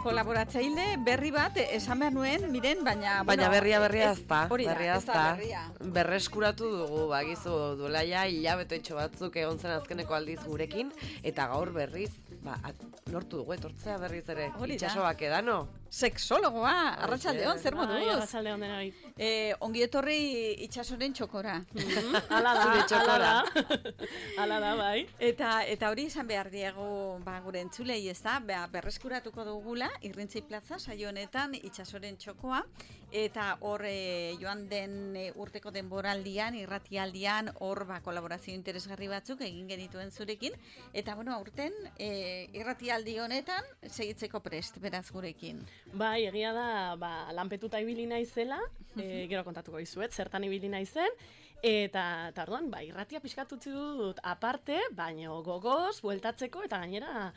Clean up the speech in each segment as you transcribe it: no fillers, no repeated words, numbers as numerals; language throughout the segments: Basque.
Kolaboratzaile berri bat esan behar nuen, miren, baina berria ez da. Berria ez da. Berreskuratu dugu, bagizu duela ja hilabetoitxo batzuk egon zen azkeneko aldiz gurekin, eta gaur berriz, lortu dugu etortzea berriz ere. Itxasobak edano. Sexologoa, arratsaldeon, zer moduz? Arratsaldeon denoi. Ongi etorri itxasoren txokora. Hala da, bai. Eta hori esan behar diegu gure entzulei, ez da, berreskuratuko dugula, Irrintzi Plaza saio honetan itxasoren txokoa, eta hor joan den urteko denboraldian, irratialdian, hor kolaborazio interesgarri batzuk egin genituen zurekin, eta aurten irratialdi honetan segitzeko prest, beraz gurekin. Bai, egia da, lanpetuta ibili naizela, gero kontatuko dizuet, zertan ibili naizen, eta orduan, irratia pixkat utzi dut aparte, baino gogoz, bueltatzeko, eta gainera,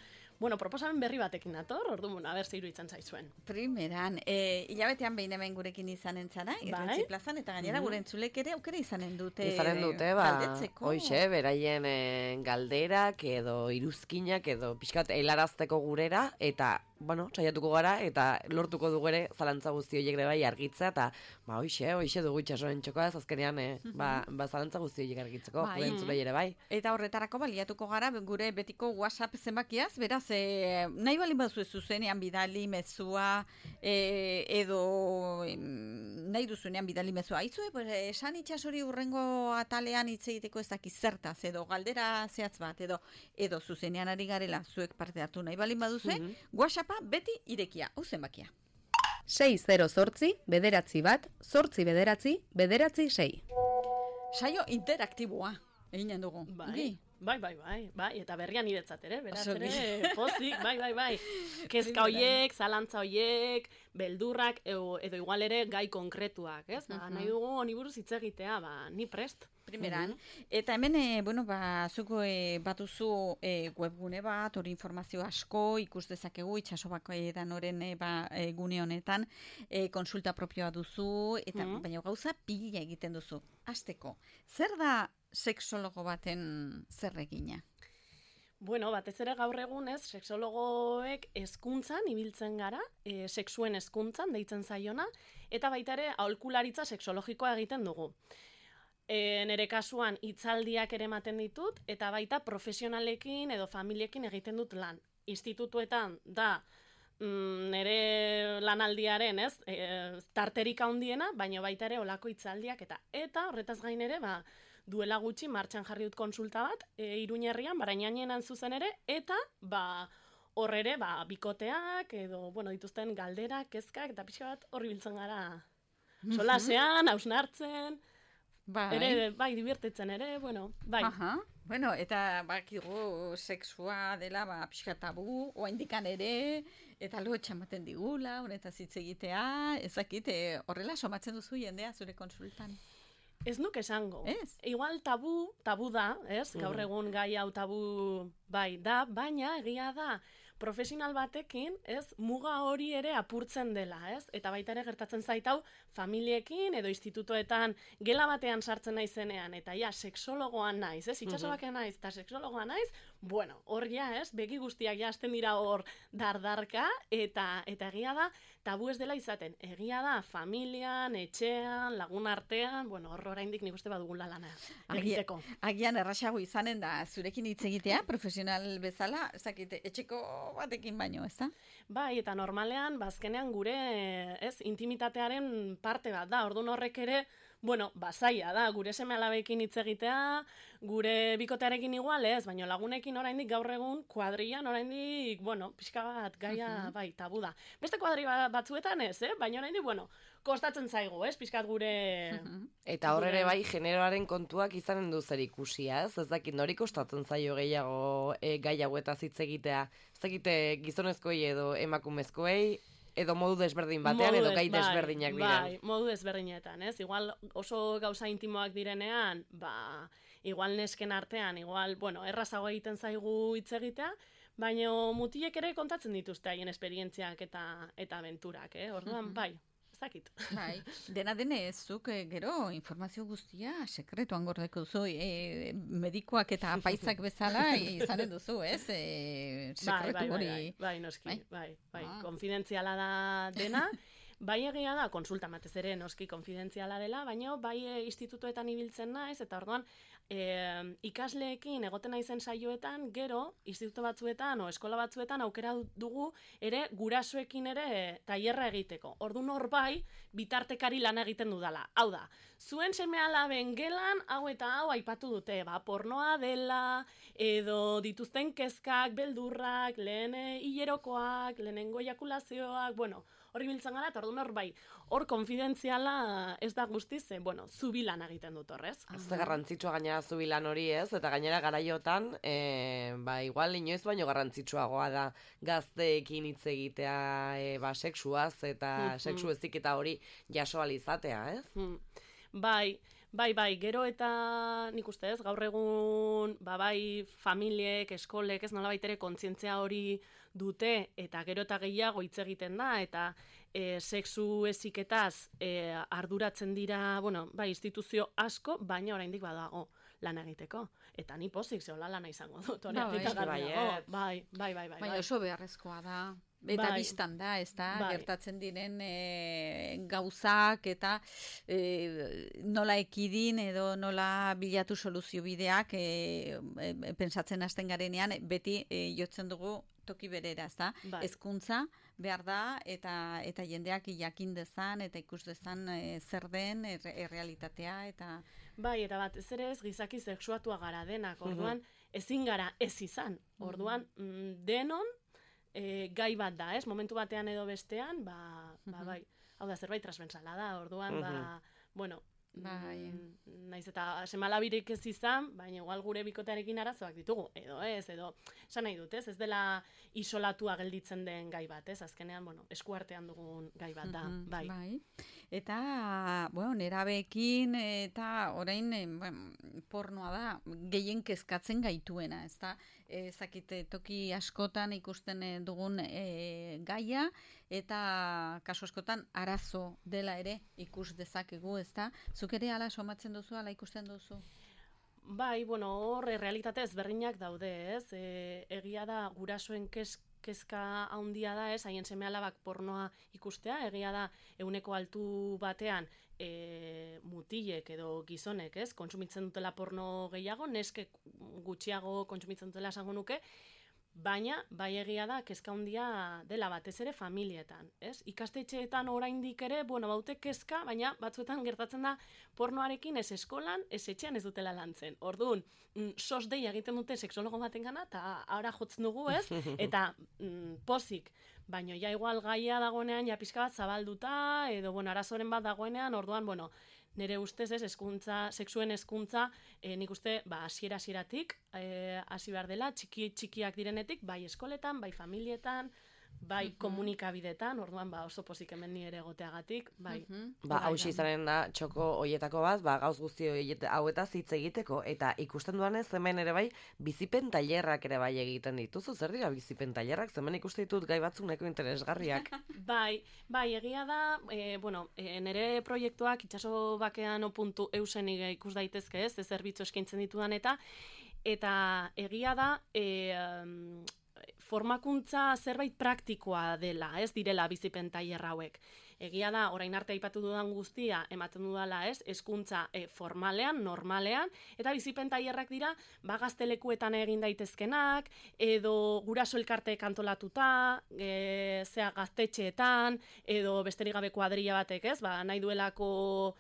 proposamen berri batekin dator, orduan, zer iruditzen zaizuen. Primeran, hilabetean behin hemen gurekin izanen zara, Irrintzi Plazan, eta gainera gure entzulek ere aukera izanen dute. Galdetzeko. Hoixe, beraien galderak edo iruzkinak edo pixkat helarazteko gurera, eta saiatuko gara, eta lortuko dugu ere zalantza guzti horiek ere bai argitzea, eta hoixe dugu itxasoren txokoa ez azkenean, zalantza guzti horiek argitzeko, gure entzulei ere bai. Eta horretarako baliatuko gara gure betiko WhatsApp zenbakiaz, beraz, nahi balin baduzu zuzenean bidali mezua, edo nahi duzunean bidali mezua. Aizue, esan itxasori urrengo atalean hitz egiteko ez dakiz zertaz, edo galdera zehatz bat, edo zuzenean ari garela zuek parte hartu nahi balin baduzue, WhatsAppa beti irekia, hau zenbakia. 608-9-8-9-6. Saio interaktiboa eginen dugu. Bai, eta berrian niretzat ere, beraz ere, pozik, bai. Kezka hoiek, zalantza hoiek, beldurrak, edo igual ere gai konkretuak, ez? Nahi dugu honi buruz hitz egitea, ni prest. Primeran, eta hemen, zuko batuzu webgune bat, hori informazio asko, ikus dezakegu, itxasobako edanoren gune honetan, konsulta propioa duzu, eta baina gauza pila egiten duzu. Hasteko, zer da sexologo baten zer egina? Batez ere gaur egunez, sexologoek hezkuntzan ibiltzen gara, sexuen hezkuntzan deitzen zaiona, eta baita ere aholkularitza sexologikoa egiten dugu. Nere kasuan hitzaldiak ere ematen ditut, eta baita profesionalekin edo familiekin egiten dut lan. Institutuetan da nere lanaldiaren, tarterik handiena, baina baita ere olako hitzaldiak eta horretaz gain ere, duela gutxi martxan jarri dut konsulta bat, Iruñerrian, Barainainen zuzen ere, eta hor ere, bikoteak, edo, dituzten galderak, kezkak, eta pixka bat horri biltzen gara. Solasean, hausnartzen, bai, dibertitzen ere, bai. Eta bakigu sexua dela pixka tabu, oaindikan ere, eta lotxa ematen digula, honetaz hitz egitea, ezakit, horrela somatzen duzu jendea zure konsultan. Ez nuke esango. Igual tabu da, gaur egun gai hau tabu bai da, baina egia da profesional batekin, muga hori ere apurtzen dela, eta baita ere gertatzen zait hau familiekin edo institutoetan gela batean sartzen naizenean, eta sexologoa naiz, itxasobakean naiz, eta sexologoa naiz, hor begi guztiak hasten dira hor dardarka, eta egia da, tabu ez dela izaten, egia da, familian, etxean, lagun artean, hor oraindik nik uste badugula lana egiteko. Agian errasago izanen da zurekin hitz egitea, profesional bezala, ezakite, etxeko batekin baino, ez da? Bai, eta normalean, bazkenean gure, intimitatearen parte bat da, orduan horrek ere, zaila da, gure seme-alabekin hitz egitea, gure bikotearekin igual ez, baina lagunekin oraindik gaur egun, kuadrian oraindik, pixka bat gaia, bai, tabu da. Beste kuadri batzuetan ez, baina oraindik, kostatzen zaigu, pixkat gure... Eta hor ere bai, generoaren kontuak izanen du zer ikusia, ez dakit nori kostatzen zaio gehiago gai hauetaz hitz egitea, ez dakite gizonezkoei edo emakumezkoei, edo modu desberdin batean, edo gai desberdinak diren. Bai, modu desberdinetan, Igual oso gauza intimoak direnean, igual nesken artean, igual, errazago egiten zaigu hitz egitea, baina mutilek ere kontatzen dituzte haien esperientziak eta abenturak, Orduan, bai, ez zakit. Bai, dena denez, zuk gero informazio guztia sekretuan gordeko duzu, medikoak eta apaizak bezala izanen duzu, ez? Sekretu hori. Bai, noski, bai. Konfidentziala da dena. Bai egia da, konsulta batez ere noski konfidentziala dela, baina bai institutuetan ibiltzen naiz, eta orduan ikasleekin egoten naizen saioetan, gero instituto batzuetan o eskola batzuetan aukera dugu ere gurasoekin ere tailerra egiteko. Orduan hor bai bitartekari lan egiten dudala. Hau da, zuen seme-alaben gelan hau eta hau aipatu dute, pornoa dela, edo dituzten kezkak, beldurrak, lehen hilerokoak, lehenengo ejakulazioak, bueno, hori biltzen gara, eta orduan hor bai, hor konfidentziala ez da guztiz, zubilan egiten dut horrez. Ez da garrantzitsua gainera zubilan hori ez, eta gainera garaiotan, igual inoiz baino garrantzitsuagoa da gazteekin hitz egitea sexuaz, eta sexu eziketa hori jaso alizatea, ez? Bai, gero eta nik uste ez, gaur egun, bai, familiek, eskolek, ez nola baitere kontzientzia hori dute, eta gero eta gehiago hitz egiten da, eta sexu eziketaz arduratzen dira, bai, instituzio asko, baina oraindik badago lan egiteko. Eta ni pozik, zehola lana izango dut, bai. Baina oso beharrezkoa da. Eta biztan da, ez da, gertatzen diren gauzak eta nola ekidin edo nola bilatu soluzio bideak pensatzen hasten garenean, beti jotzen dugu toki berera, ez da? Hezkuntza behar da eta jendeak jakin dezan eta ikus dezan zer den errealitatea eta... Bai, eta bat, ez ere ez gizaki sexuatua gara denak, orduan ezin gara ez izan, orduan denon gai bat da, ez? Momentu batean edo bestean, bai, hau da zerbait transversala da, orduan, naiz eta semalabirik ez izan, baina igual gure bikotearekin arazoak ditugu, edo esan nahi dut, ez dela isolatua gelditzen den gai bat, ez? Azkenean, eskuartean dugun gai bat da, bai. Eta, nerabeekin eta orain pornoa da gehien kezkatzen gaituena, ez da? Zakite toki askotan ikusten dugun gaia eta kasu askotan arazo dela ere ikus dezakegu, ez da? Zuk ere ala somatzen duzu, ala ikusten duzu? Bai, hor realitate ezberdinak daude, ez? Egia da gurasoen kezka handia da, ez? Haien seme-alabak pornoa ikustea, egia da ehuneko altu batean mutilek edo gizonek, ez? Kontsumitzen dutela porno gehiago, neskek gutxiago kontsumitzen dutela esango nuke, baina bai egia da kezka handia dela batez ere familietan, ez? Ikastetxeetan oraindik ere, baute kezka, baina batzuetan gertatzen da pornoarekin ez eskolan, ez etxean ez dutela lantzen. Orduan, sos deia egiten dute sexologo batengana eta ahora jotzen dugu, ez? Eta pozik, baina ja igual gaia dagoenean ja pixka bat zabalduta edo arazoren bat dagoenean, orduan, nire ustez ez, sexuen hezkuntza, nik uste, hasieratik hasi behar dela, txikiak direnetik, bai eskoletan, bai familietan, bai komunikabidetan, orduan oso pozik hemen ni ere egoteagatik, bai. Hauxe izanen da txoko hoietako bat, gauz guzti hauetaz hitz egiteko, eta ikusten duanez hemen ere bai, bizipen tailerrak ere bai egiten dituzu, zer dira bizipen tailerrak, hemen ikuste ditut gai batzuk nahiko interesgarriak. Bai, egia da, nire proiektuak itxaso bakean .eusen ikus daitezke ez zerbitzu eskaintzen ditudan eta egia da, formakuntza zerbait praktikoa dela, ez direla bizipen tailer hauek. Egia da, orain arte aipatu dudan guztia ematen dudala, ez, hezkuntza formalean, normalean, eta bizipen tailerrak dira, gaztelekuetan egin daitezkenak, edo guraso elkarteek antolatuta, gaztetxeetan, edo besterik gabe kuadrilla batek, ez, nahi duelako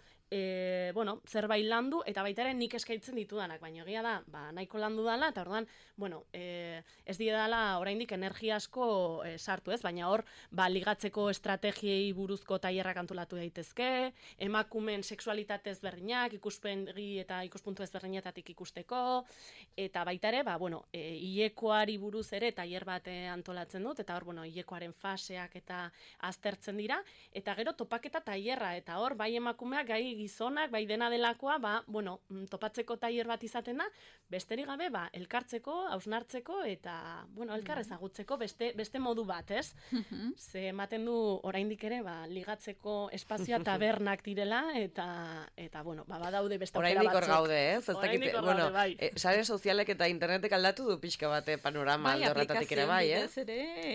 zerbait landu, eta baita ere nik eskaintzen ditudanak, baina egia da, nahiko landu dela, eta orduan, ez didala oraindik energia asko sartu, ez, baina hor, ligatzeko estrategiei buruzko tailerrak antolatu daitezke, emakumeen sexualitate ezberdinak, ikuspegi eta ikuspuntu ezberdinetatik ikusteko, eta baita ere, hilekoari buruz ere tailer bat antolatzen dut, eta hor, hilekoaren faseak eta aztertzen dira, eta gero topaketa tailerra, eta hor, bai emakumeak, gai gizonak, bai dena delakoa, topatzeko tailer bat izaten da, besterik gabe, elkartzeko, hausnartzeko, eta, elkar ezagutzeko beste modu bat, ez? Ze ematen du, oraindik ere, ligatzeko espazioa tabernak direla, eta badaude beste aukera batzuk. Oraindik hor gaude, ez? Oraindik hor gaude, bai. Sare sozialek eta internetek aldatu du pixka bate panorama alde horretatik ere, bai, ez?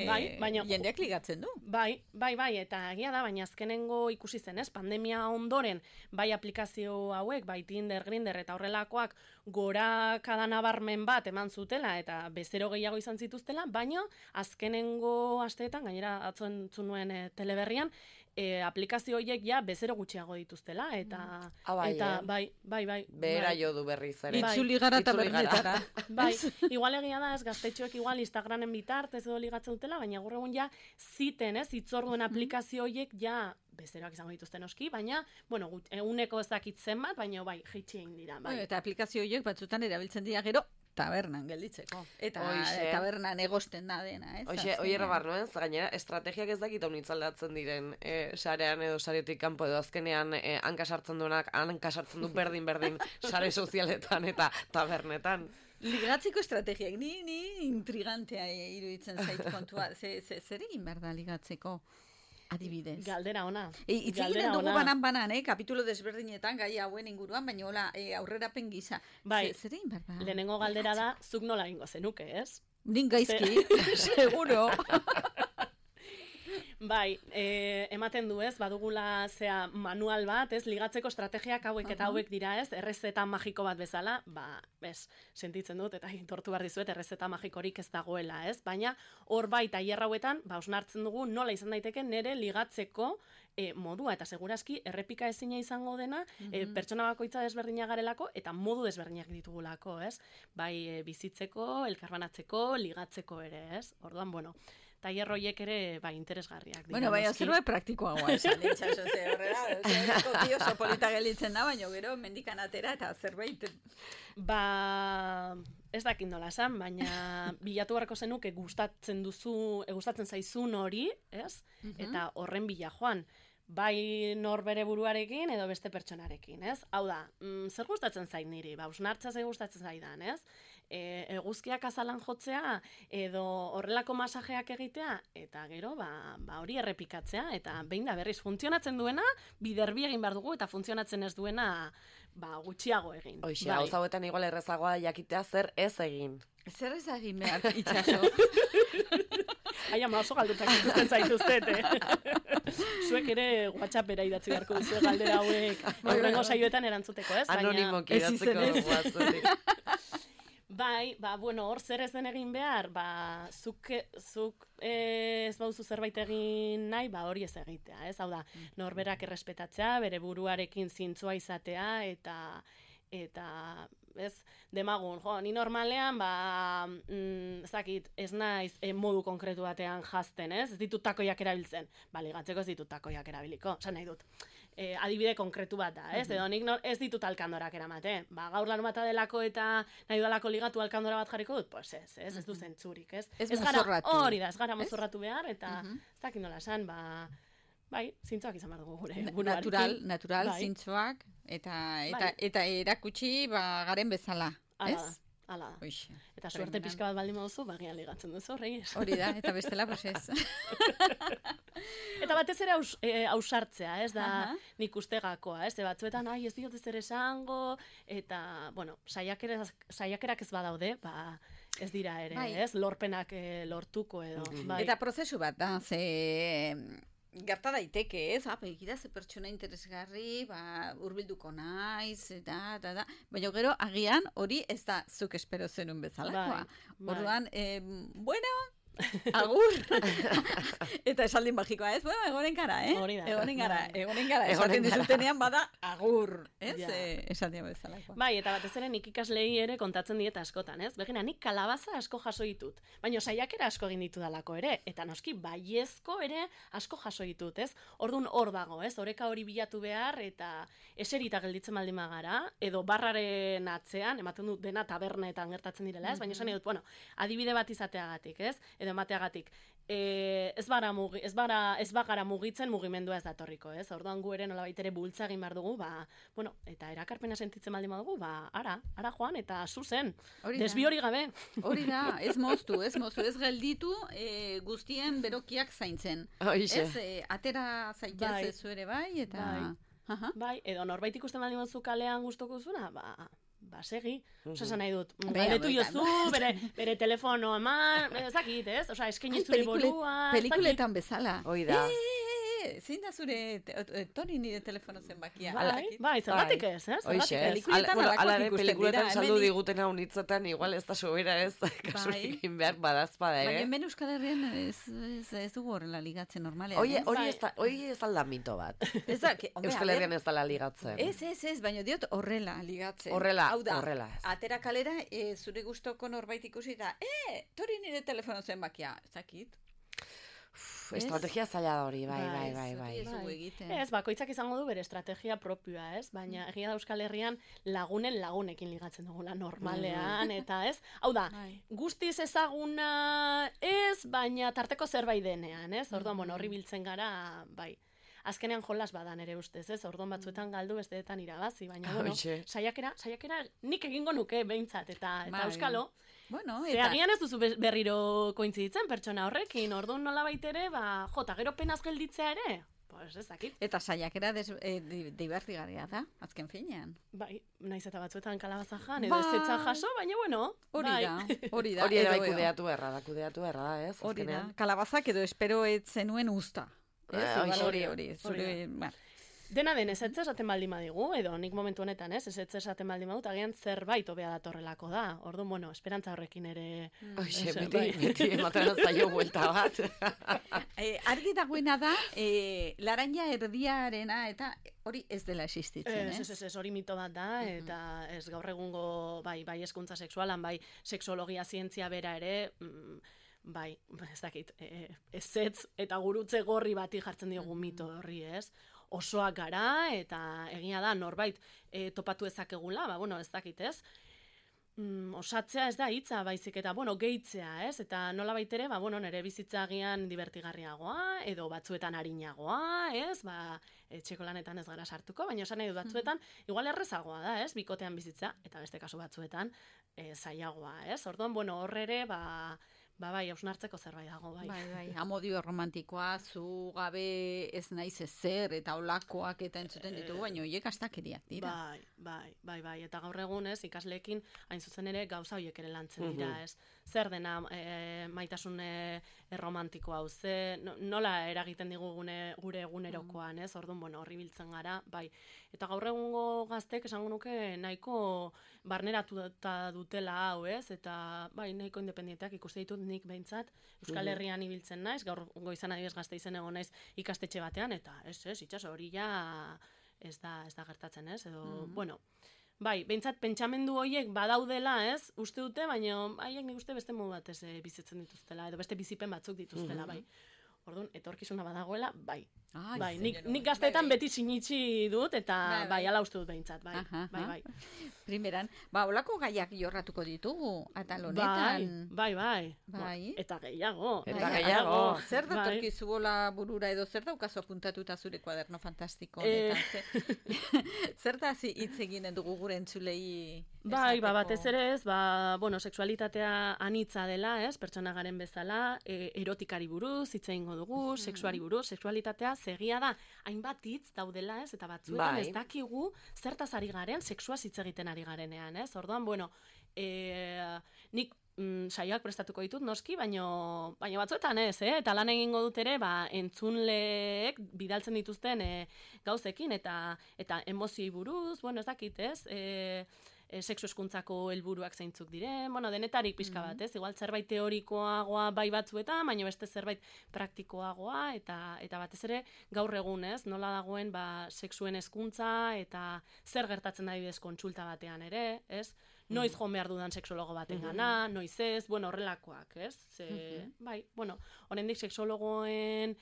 Bai, baina jendeak ligatzen du. Bai, eta egia da, baina azkenengo ikusi zen, ez? Pandemia ondoren, bai aplikazio hauek, bai Tinder, Grindr eta horrelakoak gorakada nabarmen bat eman zutela eta bezero gehiago izan zituztela, baina azkenengo asteetan, gainera atzo entzun nuen teleberrian, aplikazio horiek ja bezero gutxiago dituztela, eta bai. Behera jo du berriz ere. Itzuli gara eta bernetara. Bai, igual egia da, ez gaztetxoek igual Instagramen bitartez edo ligatzen dutela, baina gaur egun ja ziten, ez, hitzorduen aplikazio horiek ja bezeroak izango dituzten oski, baina, eguneko ez dakit zenbat, baina bai, jaitsi egin dira. Bai. Eta aplikazio horiek batzutan erabiltzen dira gero, tabernan gelditzeko. Eta tabernan egosten da dena, ez? Oie barnoen, gainera, estrategiak ez dakit honitz aldatzen diren sarean edo saretik kanpo edo azkenean hanka sartzen du berdin sare sozialetan eta tabernetan. Ligatzeko estrategiak, ni intrigantea iruditzen zait kontua. Zer egin behar da ligatzeko? Adibidez. Galdera ona. Hitz egiten dugu banan, kapitulo desberdinetan gai hauen inguruan, baina hola aurrerapen gisa. Bai, zer egin behar da? Lehenengo galdera da, zuk nola egingo zenuke, ez? Nin gaizki, seguro. Bai, ematen du, ez, badugula manual bat, ez, ligatzeko estrategiak hauek eta hauek dira, ez, errezeta magiko bat bezala, sentitzen dut, eta tortu behar dizuet, errezeta magikorik ez dagoela, ez, baina hor bai tailer hauetan, osnartzen dugu nola izan daiteke nere ligatzeko modua, eta segurazki errepika ezina izango dena, pertsona bakoitza desberdina garelako, eta modu desberdinak ditugulako, ez, bai bizitzeko, elkarbanatzeko, ligatzeko ere, ez, orduan, tailer horiek ere interesgarriak. Bai, zerbait praktikoagoa esan itxaso, horrela, oso polita gelitzen da, baina gero mendikan atera eta zerbait... Ez dakit nola esan, baina bilatu beharko zenuke gustatzen zaizun hori, ez? Eta horren bila joan. Bai norbere buruarekin edo beste pertsonarekin, ez? Hau da, zer gustatzen zait niri? Usnartza zer gustatzen zaidan, ez? Eguzkiak azalan jotzea edo horrelako masajeak egitea eta gero hori errepikatzea eta behin da berriz funtzionatzen duena biderbi egin behar dugu eta funtzionatzen ez duena gutxiago egin. Hoxe, hau zauetan igual errezagoa jakitea zer ez egin. Zer ez egin behar itxaso? Ai, ama oso galdutak ikusten zaituztet, Zuek ere WhatsAppera idatzi beharko duzu galdera hauek horrengo saioetan erantzuteko, ez? Anonimoki idatzeko WhatsApp. Bai, hor zer ez den egin behar, zuk ez bauzu zerbait egin nahi, hori ez egitea, ez? Hau da, norberak errespetatzea, bere buruarekin zintzua izatea, eta ez, demagun, ni normalean, ez dakit, ez naiz modu konkretu batean jazten, ez? Ez ditut takoiak erabiltzen. Ligatzeko ez ditut takoiak erabiliko, esan nahi dut. Adibide konkretu bat da, ez? Edo nik ez ditut alkandorak eramate. Gaur larun bata delako eta nahi dalako ligatu alkandora bat jarriko dut, pues ez du zentzurik, ez? Ez mozorratu. Hori da, ez gara mozorratu behar, eta ez dakit nola esan, bai, zintzoak izan behar dugu gure buruarekin. Natural, zintzoak, eta erakutsi garen bezala, ez? Hala da. Eta suerte pixka bat baldin baduzu, bagian ligatzen duzu, horreiz. Hori da, eta bestela, pues ez. Eta batez ere ausartzea, ez da nik ustegakoa, ez? Batzuetan, ez diot ez ere esango, eta, saiakerak ez badaude, ez dira ere, ez? Lorpenak lortuko edo. Eta prozesu bat da, gerta daiteke, ez? Begira ze pertsona interesgarri, hurbilduko naiz, baina gero agian hori ez da zuk espero zenun bezalakoa. Orduan, agur! Eta esaldin magikoa, ez? Egonen gara, Hori da. Egonen gara. Esaten dizutenean bada agur, ez? Esaldin bezalakoa. Bai, eta batez ere nik ikaslei ere kontatzen dieta askotan, ez? Begina, nik kalabaza asko jaso ditut. Baina saiakera asko egin ditu dalako ere. Eta noski, baiezko ere asko jaso ditut, ez? Orduan hor dago, ez? Oreka hori bilatu behar, eta eserita gelditzen baldin magara, edo barraren atzean, ematen dut dena tabernetan gertatzen direla, ez? Baina esan dut, adibide bat izateagatik, ez? Edo edo emateagatik. Ez bagara mugitzen mugimendua ez datorriko, ez? Orduan gu ere nolabait ere bultza egin behar dugu, eta erakarpena sentitzen baldin badugu, ara joan eta zuzen, desbi hori gabe. Hori da, ez moztu, ez gelditu guztien berokiak zaintzen. Ez, atera zaitez zuere bai, eta... Bai, edo norbait ikusten baldin baduzu kalean gustoko zuna, segi. Osa nahi dut, galdetu jozu, bere telefono eman, ez dakit, ez? Osa, eskaini zure borua... Pelikuletan bezala. Hoi da. Zein da zure Tori nire telefono zenbakia? Bai, zergatik ez, ez? Alare, pelikuletan saldu diguten hau nitzetan, igual ez da sobera ez, kasuekin behar badazpada, Baina hemen Euskal Herrian ez dugu horrela ligatzen normalean. Hori ez alda mito bat. Euskal Herrian ez dala ligatzen. Ez, baina diot horrela ligatzen. Horrela ez. Atera kalera, zure gustoko norbait ikusi da, Tori nire telefono zenbakia, ez dakit. Estrategia zaila da hori, bai. Ez, bakoitzak izango du bere estrategia propioa, ez? Baina egia da Euskal Herrian lagunekin ligatzen dugula normalean, eta ez? Hau da, guztiz ezaguna ez, baina tarteko zerbait denean, ez? Orduan, horri biltzen gara, bai. Azkenean jolas badan ere ustez, ez? Orduan batzuetan galdu, besteetan irabazi, baina, saiakera nik egingo nuke behintzat, eta euskalo. Agian ez duzu berriro kointziditzen pertsona horrekin, orduan nola baitere, jota, gero penaz gelditzea ere, pues ez dakit. Eta saiakera deibertigarria da, azken finean. Bai, naiz eta batzuetan kalabazajan, edo ez zetza jaso, baina bueno. Hori da. Hori ere kudeatu erra, ez? Hori da, kalabazak edo espero ez zenuen usta. Hori. Dena den, ez esaten baldin badigu, edo nik momentu honetan, ez esaten baldin badut, agian zerbait hobea datorrelako da. Orduan, esperantza horrekin ere... Beti ematen zaio buelta bat. Argi dagoena da, laranja erdiarena, eta hori ez dela existitzen, ez? Ez, hori mito bat da, eta ez gaur egungo, bai hezkuntza sexualan, bai sexologia zientzia bera ere... Bai, ez dakit, ezetz eta gurutze gorri bati jartzen diogu mito horri, ez? Osoak gara, eta egia da, norbait topatu ezakegula, ez dakit, ez? Osatzea ez da hitza, baizik eta, gehitzea, ez? Eta nola baitere, nire bizitza agian divertigarriagoa, edo batzuetan arinagoa, ez? Etxeko lanetan ez gara sartuko, baina esan nahi dut batzuetan, igual errezagoa da, ez? Bikotean bizitza, eta beste kasu batzuetan zailagoa, ez? Orduan, horre ere, bai, hausnartzeko zerbait dago, bai. Bai, amodio romantikoa, zu gabe ez naiz ezer, eta olakoak eta entzuten ditugu, baina horiek astakeriak dira. Bai, eta gaur egun ez, ikasleekin hain zuzen ere gauza horiek ere lantzen dira, ez. Zer dena maitasun romantikoa, nola eragiten digu gure egunerokoan, ez, orduan, horri biltzen gara, bai. Eta gaur egungo gaztek esango nuke nahiko barneratuta dutela hau, ez, eta bai, nahiko independenteak ikuste ditut nik behintzat, Euskal Herrian ibiltzen naiz, gaur goizan adibidez Gasteizen egon naiz ikastetxe batean, eta itxaso hori ja ez da gertatzen, ez, edo, bai, behintzat pentsamendu horiek badaudela, ez, uste dute, baina haiek nik uste beste modu batez bizitzen dituztela, edo beste bizipen batzuk dituztela, bai. Orduan, etorkizuna badagoela, bai. Nik gazteetan beti sinitsi dut, eta bai, ala uste dut behintzat, bai. Primeran, olako gaiak jorratuko ditugu, atal honetan. Bai. Eta gehiago. Zer datorkizu bola burura edo zer daukazu apuntatuta zure kuaderno fantastiko honetan? Zer da hitz eginen dugu gure entzulei? Bai, batez ere ez, sexualitatea anitza dela, ez, pertsona garen bezala, erotikari buruz, hitz egingo dugu, sexuari buruz, sexualitatea segia da, hainbat hitz daudela, ez, eta batzuetan ez dakigu zertaz ari garen, sexuaz hitz egiten ari garenean, ez, orduan, nik saioak prestatuko ditut noski, baina batzuetan ez, eta lan egingo dut ere, entzunleek bidaltzen dituzten gauzekin, eta emozioi buruz, ez dakit, ez, sexu eskuntzako helburuak zeintzuk diren, denetarik pixka bat, ez? Igual zerbait teorikoagoa bai batzuetan, baina beste zerbait praktikoagoa, eta batez ere gaur egun, ez? Nola dagoen sexuen hezkuntza eta zer gertatzen da adibidez kontsulta batean ere, ez? noiz joan behar dudan sexologo baten gana, noiz ez, bueno, horrelakoak, ez? Bai, bueno, oraindik sexologoen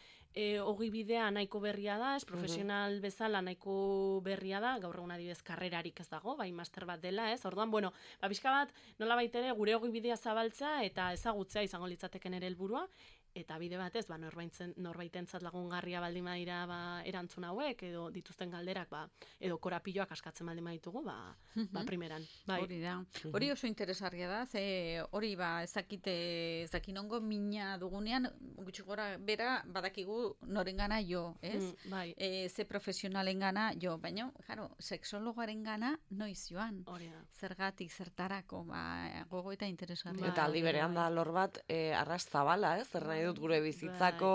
ogibidea nahiko berria da, ez profesional bezala nahiko berria da, gaur egun adibidez karrerarik ez dago, bai master bat dela, ez? Orduan, bueno, pixka bat nolabait ere gure ogibidea zabaltzea eta ezagutzea izango litzateken ere helburua. Eta bide batez, norbaitentzat lagungarria baldin badira erantzun hauek, edo dituzten galderak, edo korapiloak askatzen baldin baditugu, primeran. Bai. Hori da. Hori oso interesgarria da, ze hori ezakinongo mina dugunean, gutxi gora bera badakigu norengana jo, ez? Bai. Ze profesionalengana jo, baina, jaro, sexologoaren gana noiz joan. Hori da. Zergatik, zertarako, gogo eta interesgarria. Eta aldi berean da lor bat, arras zabala, ez? Zer nahi dut gure bizitzako,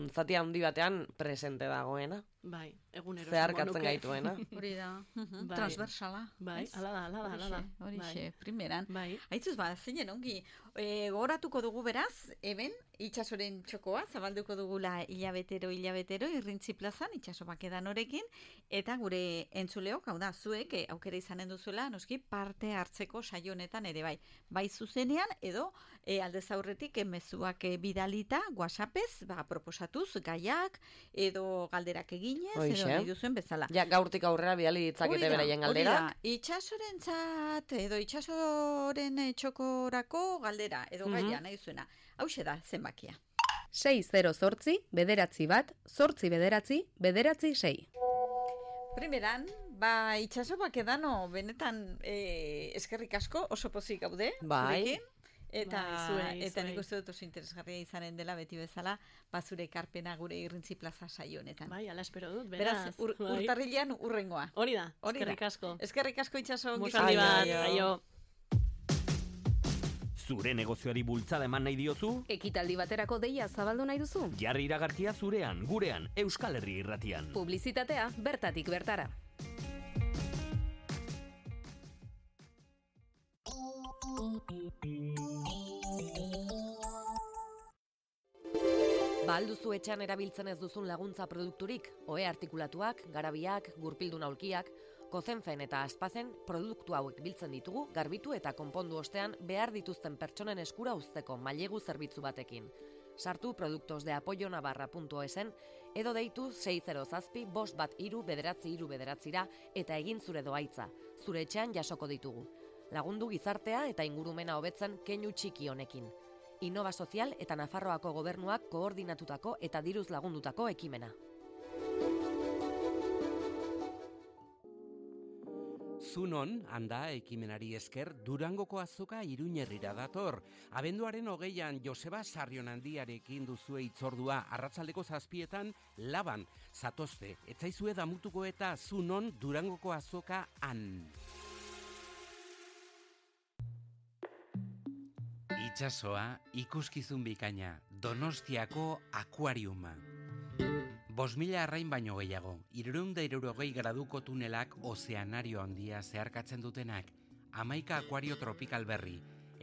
zati handi batean presente dagoena. Bai, egunero. Zeharkatzen gaituena. Hori da. Transversala. Bai, ala da. Horixe, primeran. Bai. Aitzuz, zeinen ongi. Gogoratuko dugu beraz, eben, itxasoren txokoa, zabalduko dugula hilabetero, irrintzi plazan, itxaso bakedan horekin, eta gure entzuleok, hau da, zuek, aukera izanen duzuela, noski, parte hartzeko saio honetan ere bai. Bai zuzenean, edo, aldez aurretik, mezuak bidalita, WhatsAppez, proposatuz, gaiak, edo galderak eginez, edo nahi duzuen bezala. Ja, gaurtik aurrera bidali ditzakete beraien galderak. Hori da, itxasorentzat, edo itxasoren txokorako galdera, edo gaia nahi duzuena. Hauxe da, zenbakia. 608, bederatzi bat, 8 bederatzi, bederatzi 6. Primeran, itxaso bakedano, benetan eskerrik asko, oso pozik gaude, zurekin. Eta nik uste dut oso interesgarria izanen dela beti bezala, zure ekarpena gure irrintzi plaza saio honetan. Bai, ala espero dut, beraz. Urtarrilean urrengoa. Hori da, eskerrik asko. Eskerrik asko itxaso. Musandi bat, aio. Zure negozioari bultzada eman nahi diozu? Ekitaldi baterako deia zabaldu nahi duzu? Jarri iragarkia zurean, gurean, Euskal Herri Irratian. Publizitatea bertatik bertara. Alduzu etxean erabiltzen ez duzun laguntza produkturik, ohe artikulatuak, garabiak, gurpildun aulkiak, kozenfen eta aspazen produktu hauek biltzen ditugu, garbitu eta konpondu ostean behar dituzten pertsonen eskura uzteko mailegu zerbitzu batekin. Sartu produktosdeapoyonavarra.esen edo deitu 607-513-939 eta egin zure doaitza, zure etxean jasoko ditugu. Lagundu gizartea eta ingurumena hobetzen keinu txiki honekin. Innova Sozial eta Nafarroako gobernuak koordinatutako eta diruz lagundutako ekimena. Zunon, handa ekimenari esker, Durangoko azoka Iruñerrira dator. Abenduaren 20an Joseba Sarrionandiarekin duzue itzordua arratsaldeko 7etan Laban, zatozte, etzaizue damutuko eta Zunon Durangoko azoka han. Itxasoa, ikuskizun bikaina, Donostiako akuariuma. 5.000 arrain baino gehiago, 360 graduko tunelak ozeanario handia zeharkatzen dutenak, 11 akuario tropikal berri,